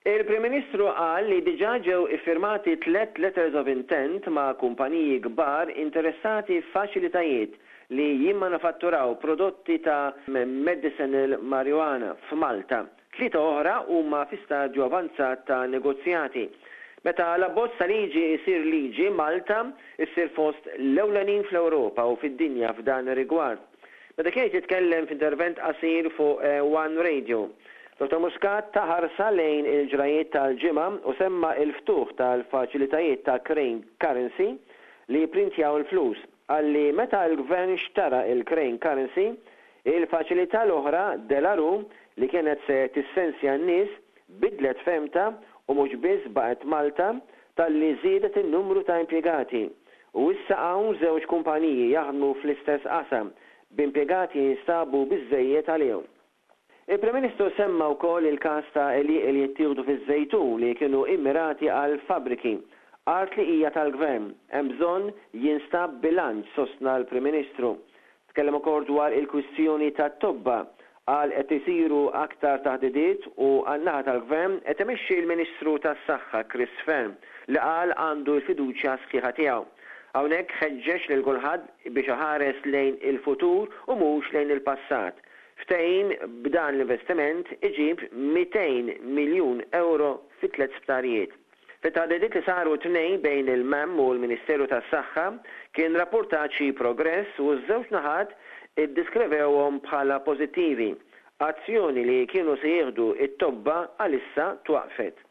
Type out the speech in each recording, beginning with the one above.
Il-Prim Ministru qal li diġà ġew iffirmati tlett letters of intent ma' kumpaniji kbar interessati f'faċilitajiet li jimmanufatturaw prodotti ta' medicinal marijuana f'Malta. Tlieta oħra huma fi stadju avanzat ta' negozjati. Meta l-abbozz ta' liġi jsir liġi, Malta ssir fost l-ewlenin fl-Ewropa u fid-dinja f'dan ir-rigward. Meta kien qed jitkellem f'intervent qasir fuq One Radio, Dottor Muscat ta ħarsa lejn il-ġrajiet tal-ġimgħa u semma l-ftuħ tal-faċilitajiet ta' Crane Currency li jipprintjaw il-flus. Qal li meta l-Gvern xtara l-Crane Currency, il-faċilità l-oħra, De La Rue, li kienet se tissensja n-nies, bidlet fehmtha u mhux biss baqgħet Malta, talli żiedet in-numru ta' impjegati. U issa hawn żewġ kumpaniji jaħdmu fl-istess qasam, b'impjegati jinstabu biżżejjed għalihom. Il-Prim Ministru semma wkoll il-każ ta' għelieqi li jittieħdu fiż-Żejtun li kienu immirati għal fabbriki. Art li hija tal-Gvern. Hemm bżonn jinstab bilanċ, sostna l-Prim Ministru. Tkellem ukoll dwar il-kwistjoni tat-tobba. Qal qed isiru aktar taħdidiet u għan-naħa tal-Gvern qed imexxi l-Ministru tas-Saħħa Chris Fearne li qal għandu l-fiduċja sħiħa tiegħu. Hawnhekk ħeġġeġ lil kulħadd biex iħares lejn il-futur u mhux lejn il-passat. Ftehim b'dan l-investiment iġib 200 miljun ewro fi tlett sptarijiet. Fit-taħdidiet li saru t-Tnejn bejn il-MEM u l-Ministeru tas-Saħħa kien rappurtat xi progress u ż-żewġ naħat iddiskrevewhom bħala pożittivi. Azzjoni li kienu se jieħdu t-tobba għalissa twaqqfet.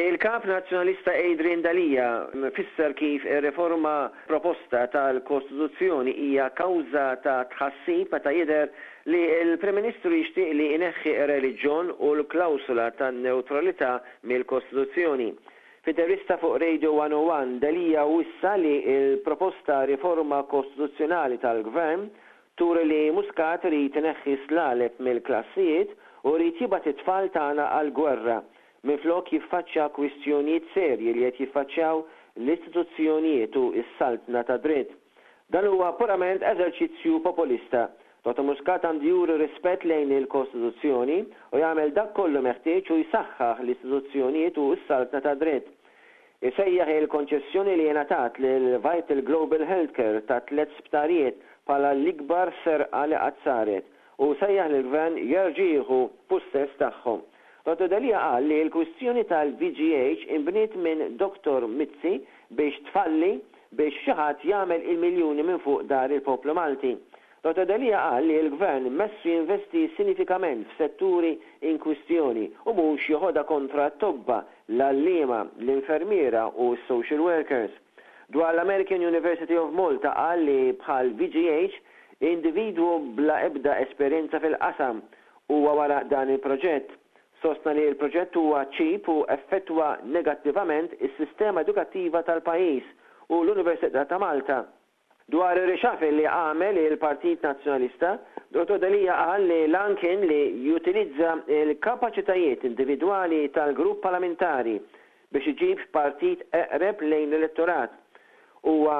Il-Kap Nazzjonalista Adrian Delia fisser kif ir-riforma proposta tal-Kostituzzjoni hija kawża ta' tħassib meta jidher li l-Prim Ministru jixtieq li jneħħi r-reliġjon u l-klawsola tan-newtralità mill-Kostituzzjoni. F'intervista fuq Radio 101, Delia wissa li l-proposta riforma kostituzzjonali tal-Gvern turi li Muscat irid ineħħi s-slaleb mill-klassijiet u jrid jibgħat it-tfal tagħna għall-gwerra minflok jiffaċċja kwistjonijiet serji li qed jiffaċċjaw l-istituzzjonijiet u s-saltna tad-dritt. Dan huwa purament eżerċizzju populista. Dottor Muscat għandu juri rispett lejn il-Kostituzzjoni u jagħmel dak kollu meħtieġ u jsaħħaħ l-istituzzjonijiet u s-saltna tad-dritt. Isejjaħ il-konċessjoni li ingħatat lil Vital Global Healthcare ta' tlett sptarijiet bħala l-ikbar serqa li qatt saret u sejjaħ lill-Gvern jerġa' jieħu pussess tagħhom. Dottor Delia qal li l-kwistjoni tal-VGH inbniet minn Dottor Mizzi biex tfalli biex xi ħadd jagħmel il-miljuni minn fuq dar il-poplu Malti. Dottor Delia qal li l-Gvern messu jinvesti sinifikament f'setturi in kwistjoni u mhux joħodha kontra t-tobba, l-għalliema, l-infermiera u s-social workers. Dwar l-American University of Malta qal li bħal VGH, individwu bla ebda esperjenza fil-qasam huwa wara dan il-proġett. Sostna li l-proġett huwa cheap u effettwa negattivament is-sistema edukattiva tal-pajjiż u l-Università ta' Malta. Dwar ir-reshuffle li għamel il-Partit Nazzjonalista, Dottor Delia qal li l-għan kien li jutilizza l-kapaċitajiet individwali tal-grupp parlamentari biex iġib partit eqreb lejn l-elettorat. Huwa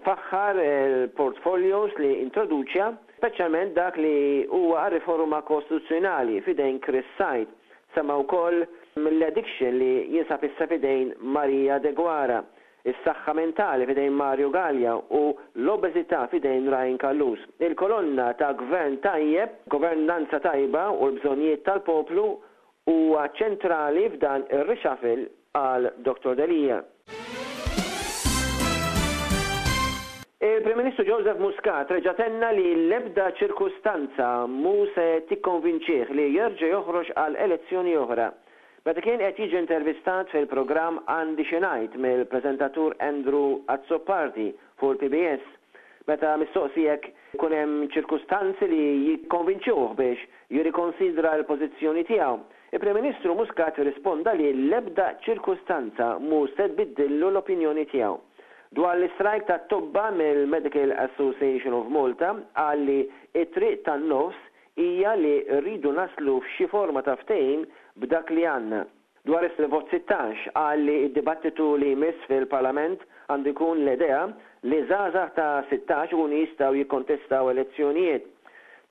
faħħar il-portfolios li introduċja, speċjalment dak li huwa għar-riforma kostituzzjonali f'idejn Chris Said. Semma wkoll l-addiction li jinsab issa f'idejn Maria Deguara, is-saħħa mentali f'idejn Mario Galea u l-obeżità f'idejn Ryan Callus. Il-kolonna ta' gvern tajjeb, governanza tajba u l-bżonnijiet tal-poplu huwa ċentrali f'dan ir-reshuffle, qal Dottor Delia. Il-Prim Ministru Joseph Muscat reġa' tenna li l-ebda ċirkustanza mhu se tikkonvinċih li jerġa' joħroġ għal elezzjoni oħra. Meta kien qed jiġi intervistat fil-programm Għandi Xi Ngħid mill-preżentatur Andrew Azzopardi fuq il-PBS, meta mistoqsi jekk ikun hemm ċirkustanzi li jikkonvinċuh biex jirrikonsidra l-pożizzjoni tiegħu, il-Prim Ministru Muscat irrisponda li l-ebda ċirkustanza mhu se tbiddillu l-opinjoni tiegħu. Dwar l-istrajk tat-tobba mill-Medical Association of Malta qal li t-triq tan-nofs hija li rridu naslu f'xi forma ta' ftehim b'dak li għandna. Dwar is-Vot 16, qal li d-dibattitu li jmiss fil-Parlament għandu jkun l-idea li żgħażagħ ta' 16 ikunu jistgħu jikkontestaw elezzjonijiet.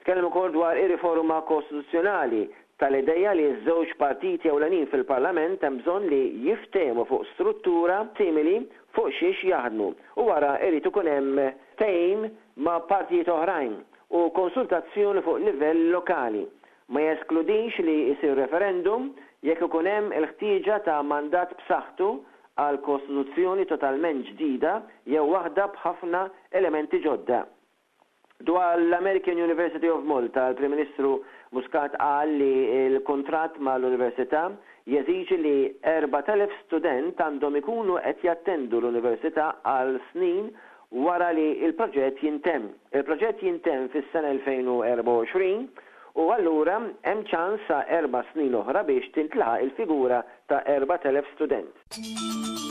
Tkellem ukoll dwar ir-riforma kostituzzjonali, tal-ideja li ż-żewġ partiti ewlenin fil-Parlament hemm bżonn li jiftehmu fuq struttura simili fuq xiex jaħdmu u wara jrid ikun hemm ftehim ma' partijiet oħrajn u konsultazzjoni fuq livell lokali. Ma jeskludix li jsir referendum jekk ikun hemm il-ħtieġa ta' mandat b'saħħtu għal kostituzzjoni totalment ġdida jew waħda b'ħafna elementi ġodda. Dwar l-American University of Malta, il-Prim Ministru Muscat qal li l-kuntratt mal-Università jeżiġi li 4,000 student għandhom ikunu qed jattendu l-Università għal snin wara li l-proġett jintemm. Il-proġett jintemm fis-sena 2024 u allura hemm ċans sa erba' snin oħra biex tintlaħaq il-figura ta' 4,000 student.